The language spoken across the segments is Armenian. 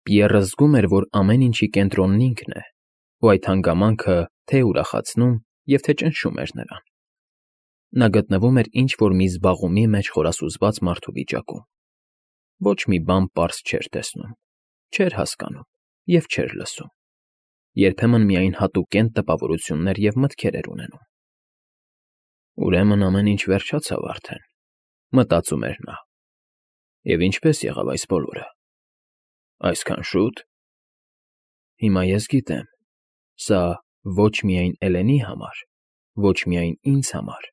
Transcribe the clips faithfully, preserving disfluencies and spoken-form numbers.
Պիեռը զգում էր, որ ամեն ինչի կենտրոնն ինքն է, ու այդ հանգամանքը թե՛ ուրախացնում և թե՛ ճնշում էր նրան. նա գտնվում էր ինչ֊որ մի զբաղումի մեջ խորասուզված մարդու վիճակում. ոչ մի բան պարզ չէր տեսնում, չէր հասկանում և չէր լսում, երբեմն միայն հատուկենտ տպավորություններ և մտքեր էր ունենում։ «Ուրեմն ամեն ինչ վերջացավ արդեն», մտածում էր նա։ «Եվ ինչպե՞ս եղավ այս բոլորը։ Այսքան շո՞ւտ։ Հիմա ես գիտեմ, սա ոչ միայն Էլենի համար, ոչ միայն ինձ համար,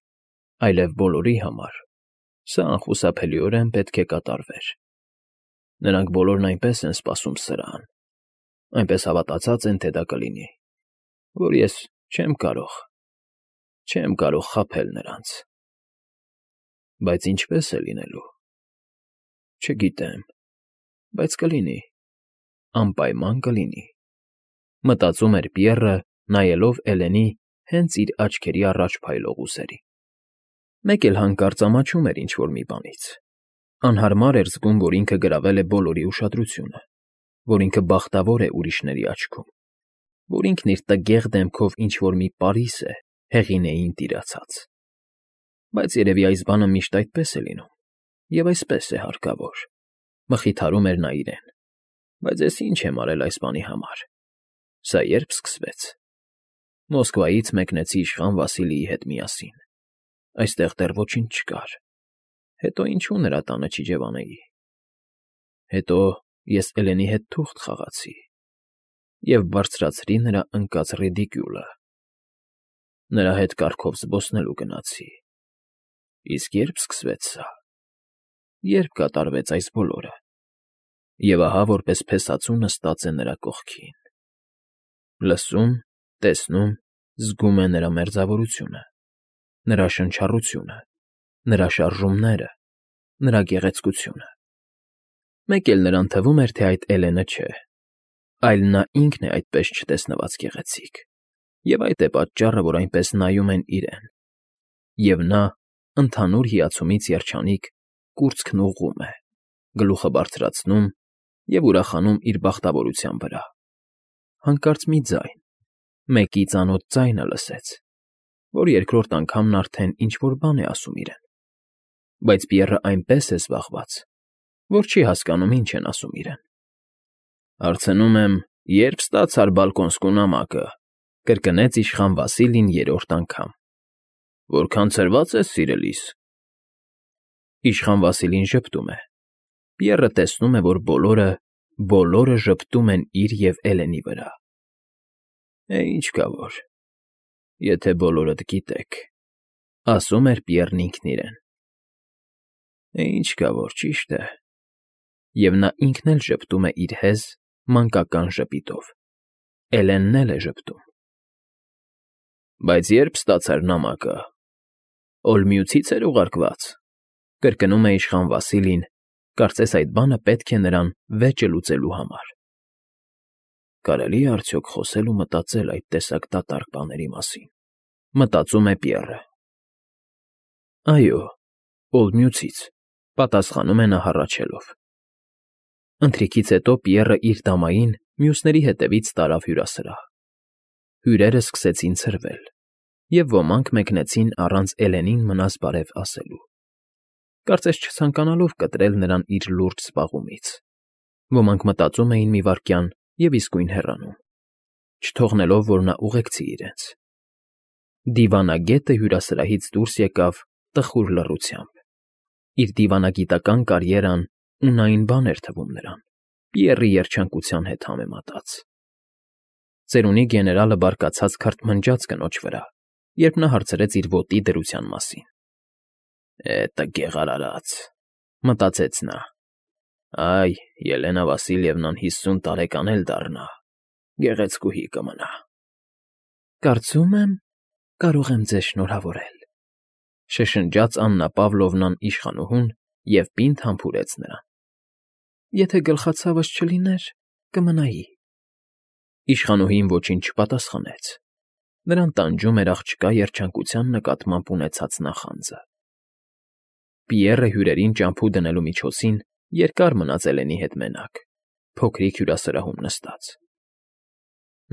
այլև բոլորի համար, սա անխուսափելիորեն պետք է կատարվեր։ Նրանք բոլորն այնպես են սպասում սրահն, այնպես հավատացած են, թե դա կլինի, որ ես չեմ կարող, չեմ կարող խաբել նրանց։ Բայց ինչպե՞ս է լինելու։ Չգիտեմ, բայց կլինի, անպայման կլինի», մտածում էր Պիեռը, նայելով Էլենի հենց իր աչքերի առաջ փայլող ուսերին։ Մեկ էլ հանկարծ ամաչում էր ինչ֊որ մի բանից, անհարմար էր զգում, որ ինքը գրավել է բոլորի ուշադրությունը, որ ինքը բախտավոր է ուրիշների աչքում, որ ինքն իր տգեղ դեմքով ինչ֊որ մի պարիս է հեղինեին տիրացած։ Բայց երևի այս բանը միշտ այդպես է լինում, և այսպես է հարկավոր, մխիթարում էր նա իրեն։ Բայց ես ինչ եմ արել այս բանի համար։ Սա ե՞րբ սկսվեց։ Մոսկվայից մեկնեցի իշխան Վասիլիի հետ միասին, այստեղ դեռ ոչինչ չկար, հետո ինչու նրա տանը չիջևանեի։ Հետո ես Էլենի հետ թուղթ խաղացի և բարձրացրի նրա ընկած ռիդիկյուլը։ Նրա հետ կառքով զբոսնելու գնացի։ Իսկ ե՞րբ սկսվեց սա։ Ե՞րբ կատարվեց այս բոլորը։ Եվ ահա որպես փեսացու նստած է նրա կողքին։ Լսում, տեսնում, զգում է նրա մերձավորությունը, նրա շնչառությունը, նրա շարժումները, նրա գեղեցկությունը։ Մեկ էլ նրան թվում էր, թե այդ Էլենը չէ, այլ նա ինքն է այդպես չտեսնված գեղեցիկ, և այդ է պատճառը, որ այնպես նայում են իրեն, և նա, ընդհանուր հիացումից երջանիկ, կուրծքն ուղղում է, գլուխը բարձրացնում և ուրախանում իր բախտավորության վրա։ Հանկարծ մի ձայն, մեկի ծանոթ ձայնը լսեց, որ երկրորդ անգամն արդեն ինչ֊որ բան է ասում իրեն։ Բայց Պիեռը այնպես է զբաղված, որ չի հասկանում ինչ են ասում իրեն։ «Հարցնում եմ, ե՞րբ ստացար բալկոնսկու նամակը», կրկնեց իշխան Վասիլին երրորդ անգամ։ «Որքան ցրվա՞ծ ես, սիրելիս»։ Իշխան Վասիլին ժպտում է։ Պիեռը տեսնում է, որ բոլորը, բոլորը ժպտում են իր և Էլենի վրա։ «Է, ինչ կա որ, եթե բոլորդ գիտեք», ասում էր Պիեռն ինքն իրեն։ «Է, ինչ կա որ, ճիշտ է», և նա ինքն էլ ժպտում է իր հեզ, մանկական ժպիտով։ Էլենն էլ է ժպտում։ «Բայց ե՞րբ ստացար նամակը։ Օլմիուցի՞ց էր ուղարկված», կրկնում է իշխան Վասիլին, կարծես այդ բանը պետք է նրան վեճը լուծելու համար։ «Կարելի՞ է արդյոք խոսել ու մտածել այդ տեսակ դատարկ բաների մասին», մտածում է Պիեռը։ «Այո, Օլմիուցից», պատասխանում է նա հառաչելով։ Ընթրիքից հետո Պիեռը իր դամային մյուսների հետևից տարավ հյուրասրահ։ Հյուրերն սկսեցին ցրվել, և ոմանք մեկնեցին առանց Էլենին մնաս բարև ասելու, կարծես չցանկանալով կտրել նրան իր լուրջ զբաղումից։ Ոմանք մտածում էին մի վայրկյան և իսկույն հեռանում, չթողնելով, որ նա ուղեկցի իրենց։ Դիվանագետը հյուրասրահից դուրս եկավ տխուր լռությամբ։ Իր դիվանագիտական կարիերան ունային բան էր թվում նրան, Պիեռի երջանկության հետ համեմատած։ Ծերունի գեներալը բարկացած քրթմնջաց կնոջ վրա, երբ նա հարցրեց իր ոտի դրության մասին։ «Է, տգեղ արարած», մտածեց նա։ «Այ, Ելենա Վասիլիևնան հիսուն տարեկան էլ դառնա, գեղեցկուհի կմնա»։ «Կարծում եմ, կարող եմ ձեզ շնորհավորել», շշնջաց Աննա Պավլովնան իշխանուհուն և պինդ համբուրեց նրան։ «Եթե գլխացավս չլիներ, կմնայի»։ Իշխանուհին ոչինչ չպատասխանեց։ Նրան տանջում էր աղջկա երջանկության նկատմամբ ունեցած նախանձը։ Պիեռը հյուրերին ճամփու դնելու միջոցին երկար մնաց Էլենի հետ մենակ, փոքրիկ հյուրասրահում նստած։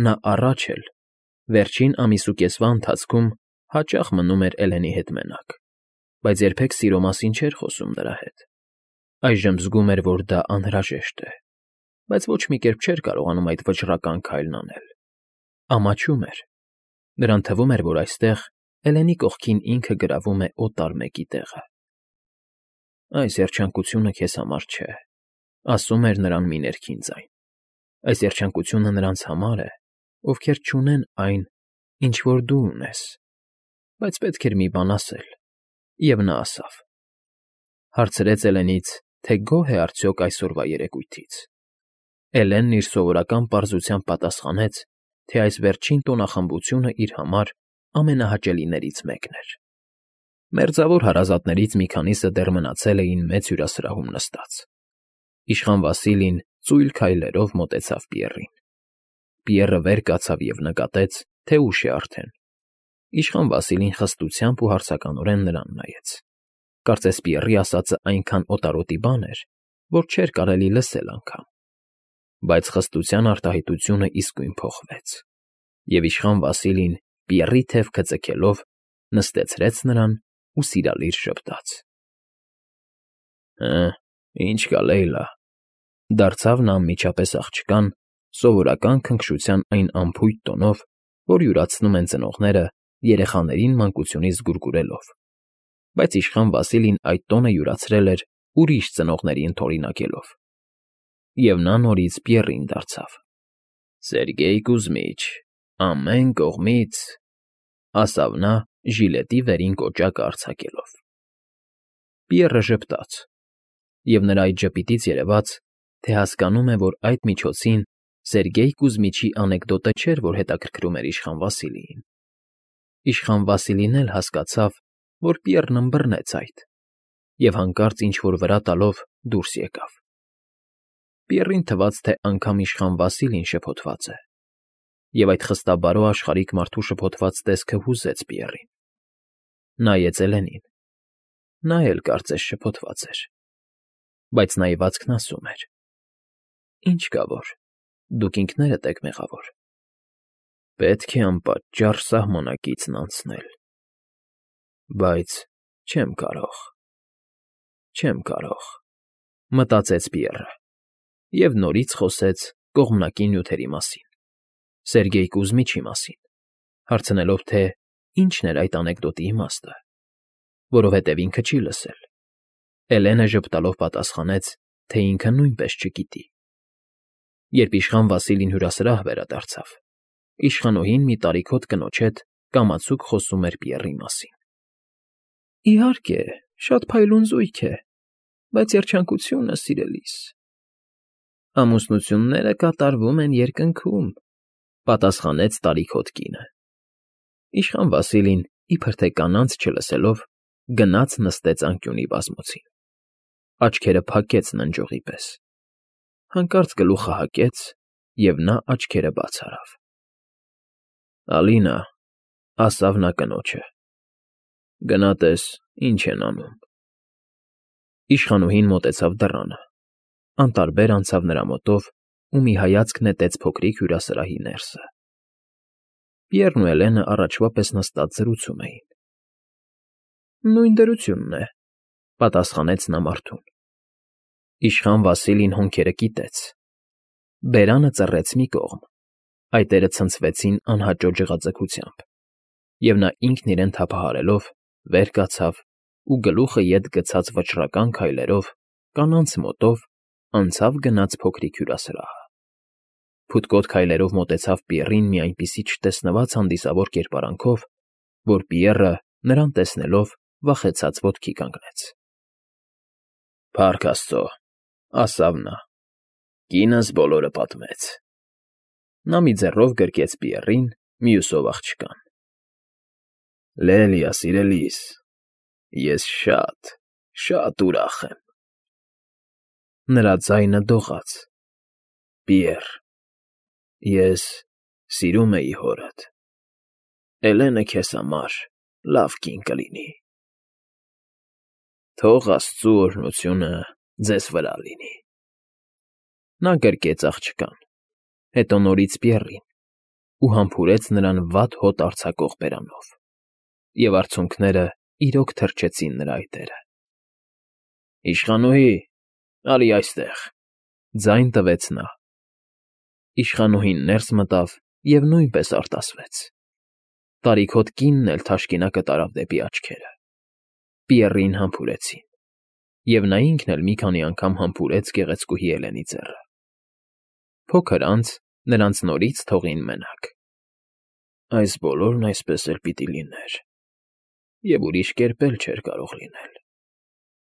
Նա առաջ էլ, վերջին ամիսուկեսվա ընթացքում հաճախ մնում էր Էլենի հետ մենակ, բայց երբեք սիրո մասին չէր խոսում նրա հետ։ Այժմ զգում էր, որ դա անհրաժեշտ է, բայց ոչ մի կերպ չէր կարողանում այդ վճռական քայլն անել։ Ամաչում էր։ Նրան թվում էր, որ այստեղ Էլենի կողքին ինքը գրավում է օտար մեկի տեղը։ «Այս երջանկությունը քեզ համար չէ», ասում էր նրան մի ներքին ձայն։ «Այս երջանկությունը նրանց համար է, ովքեր չունեն այն, ինչ որ դու ունես»։ Բայց պետք էր մի բան ասել, և նա ասավ. հարցրեց Էլենից, թե գոհ է արդյոք այսօրվա երեկույթից։ Էլենն իր սովորական պարզությամբ պատասխանեց, թե այս վերջին տոնախմբությունը իր համար ամենահաճելիներից մեկն էր։ Մերձավոր հարազատներից մի քանիսը դեռ մնացել էին մեծ հյուրասրահում նստած։ Իշխան Վասիլին ծույլ քայլերով մոտեցավ Պիեռին։ Պիեռը վեր կացավ և նկատեց, թե ուշ է արդեն։ Իշխան Վասիլին խստությամբ ու հարցականորեն նրան նայեց։ Կարծես Պիեռի ասածը այնքան օտարոտի բան էր, որ չէր կարելի լսել անգամ։ Բայց խստության արտահայտությունը իսկույն փոխվեց, և իշխան Վասիլին, Պիեռի թևքը ձգելով, նստեցրեց նրան ու սիրալիր ժպտաց։ «Հը, ինչ կա, Լեյլա,֊ դարձավ նա անմիջապես աղջկան, սովորական քնքշության այն անփույթ տոնով, որ յուրացնում են ծնողները երեխաներին մանկությունից զգուրգուրելով, բայց իշխան Վասիլին այդ տոնը յուրացրել էր ուրիշ ծնողների ընդօրինակելով։ Եվ նա նորից Պիեռին դարձավ։ «Սերգեյ Կուզմիչ, ամեն կողմից…»… ասավ նա, ժիլետի վերին կոճակը արձակելով։ Պիեռը ժպտաց, և նրա այդ ժպիտից երևաց, թե հասկանում է, որ այդ միջոցին Սերգեյ Կուզմիչի անեկդոտը չէր, որ հետաքրքրում էր իշխան Վասիլիին։ Իշխան Վասիլին էլ հասկացավ, որ Պիեռն ըմբռնեց այդ, և հանկարծ ինչ֊որ վրա տալով դուրս եկավ։ Պիեռին թվաց, թե անգամ իշխան Վասիլին շփոթված է, և այդ խստաբարո աշխարհիկ մարդու շփոթված տեսքը հուզեց Պիեռին։ Նայեց Էլենին։ Նա էլ կարծես շփոթված էր, բայց նայվածքն ասում էր. «Ինչ կա որ, դուք ինքներդ եք մեղավոր։ Պետք է անպատճառ սահմանակիցն անցնել, բայց չեմ կարող, չեմ կարող…»… մտածեց Պիեռը և նորից խոսեց կողմնակի նյութերի մասին, Սերգեյ Կուզմիչի մասին, հարցնելով, թե ինչն էր այդ անեկդոտի իմաստը, որովհետև ինքը չի լսել։ Էլենը ժպտալով պատասխանեց, թե ինքը նույնպես չգիտի։ Երբ իշխան Վասիլին հյուրասրահ վերադարձավ, իշխանուհին մի տարիքոտ կնոջ հետ կամացուկ խոսում էր Պիեռի մասին։ «Իհարկե, շատ փայլուն զույգ է, բայց երջանկությունը, սիրելիս…» «Ամուսնությունները կատարվում են երկնքում», պատասխանեց տարիքոտ կինը։ Իշխան Վասիլին, իբր թե կանանց չլսելով, գնաց նստեց անկյունի բազմոցին։ Աչքերը փակեց ննջողի պես։ Հանկարծ գլուխը հակեց, և նա աչքերը բաց արավ։ «Ալինա,֊ ասավ նա կնոջը,֊ գնա տես, ինչ են անում»։ Իշխանուհին մոտեցավ դռանը, անտարբեր անցավ նրա մոտով ու մի հայացք նետեց փոքրիկ հյուրասրահի ներսը։ Պիեռն ու Էլենը առաջվա պես նստած զրուցում էին։ «Նույն դրությունն է,֊ պատասխանեց նա մարդուն։ Իշխան Վասիլին հոնքերը կիտեց։ Բերանը ծռեց մի կողմ, այտերը ցնցվեցին անհաճո ջղաձգությամբ, և նա ինքն իրեն թափահարելով վեր կացավ ու գլուխը ետ գցած վճռական քայլերով, կանանց մոտով, անցավ գնաց փոքրիկ հյուրասրահը։ Փութկոտ քայլերով մոտեցավ Պիեռին մի այնպիսի չտեսնված հանդիսավոր կերպարանքով, որ Պիեռը, նրան տեսնելով, վախեցած ոտքի կանգնեց։ «Փառք Աստծո,֊ ասավ նա,֊ կինս բոլորը պատմեց»։ Նա մի ձեռով գրկեց Պիեռին, մյուսով աղջկան։ «Լելիա, սիրելիս, ես շատ, շատ ուրախ եմ…»։ Նրա ձայնը դողաց։ «Պիեռ, ես սիրում էի հորդ… Էլենը քեզ համար լավ կին կլինի… Թող աստծու օրհնությունը ձեզ վրա լինի»։ Նա գրկեց աղջկան, հետո նորից Պիեռին ու համբուրեց նրան վատ հոտ արձակող բերանով, և արցունքները իրոք թրջեցին նրա այտերը։ ֊ Իշխանուհի, արի այստեղ,֊ ձայն տվեց նա։ Իշխանուհին ներս մտավ և նույնպես արտասվեց։ Տարիքոտ կինն էլ թաշկինակը տարավ դեպի աչքերը։ Պիեռին համբուրեցին, և նա ինքն էլ մի քանի անգամ համբուրեց գեղեցկուհի Էլենի ձեռը։ Փոքր անց նրանց նորից թողին մենակ։ «Այս բոլորն այսպես էլ պիտի լիներ, և ուրիշ կերպ էլ չէր կարող լինել,֊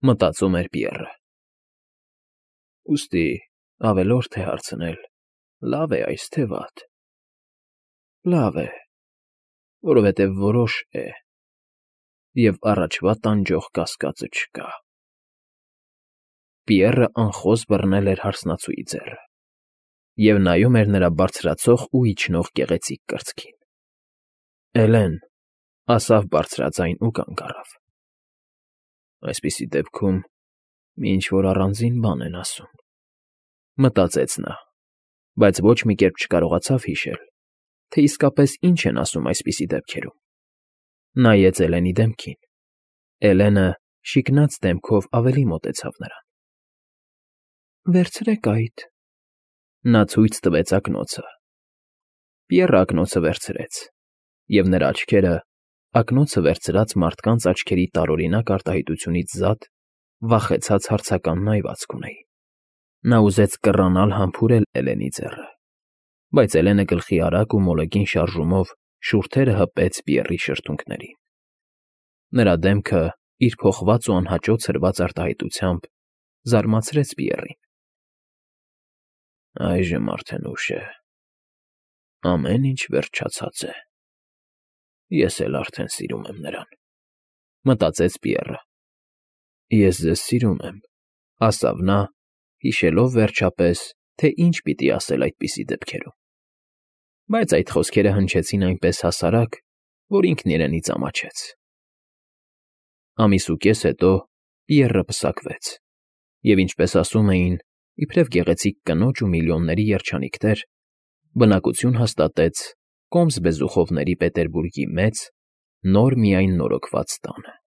մտածում էր Պիեռը։ Ուստի ավելորդ է հարցնել՝ լավ է այս, թե վատ։ Լավ է, որովհետև որոշ է, և առաջվա տանջող կասկածը չկա»։ Պիեռը անխոզ բռնել էր հարսնացուի ձեռը և նայում էր նրա բարձրացող ու իջնող գեղեցիկ կրծքին։ ֊ Էլեն,֊ ասավ բարձրաձայն ու կանգ առավ։ «Այսպիսի դեպքում մի ինչ֊որ առանձին բան են ասում,֊ մտածեց նա, բայց ոչ մի կերպ չկարողացավ հիշել, թե իսկապես ինչ են ասում այսպիսի դեպքերում։ Նայեց Էլենի դեմքին։ Էլենը շիկնած դեմքով ավելի մոտեցավ նրան։ ֊ Վերցրեք այդ,֊ նա ցույց տվեց ակնոցը։ Պիեռը ակնոցը վերցրեց, և նրա աչքերը, ակնոցը վերցրած մարդկանց աչքերի տարօրինակ արտահայտությունից զատ, վախեցած հարցական նայվածք ունեին։ Նա ուզեց կռանալ համբուրել Էլենի ձեռը, բայց Էլենը գլխի արագ ու մոլեգին շարժումով շուրթերը հպեց Պիեռի շրթունքներին։ Նրա դեմքը իր փոխված ու անհաճո ցրված արտահայտությամբ զարմացրեց Պիեռին։ ֊ Այժմ արդեն ուշ է, ամեն ինչ վերջացած է, ես էլ արդեն սիրում եմ նրան,֊ մտածեց Պիեռը։ Ես ձեզ սիրում եմ,֊ ասավ նա, հիշելով, վերջապես, թե ինչ պիտի ասել այդպիսի դեպքերում։ Բայց այդ խոսքերը հնչեցին այնպես հասարակ, որ ինքն իրենից ամաչեց։ Ամիս ու կես հետո Պիեռը պսակվեց և, ինչպես ասում էին, իբրև գեղեցիկ կնոջ ու միլիոնների երջանիկ տեր, բնակություն հաստատեց Կոմս բեզուխովների Պետերբուրգի մեծ, նոր միայն նորոգված տանը։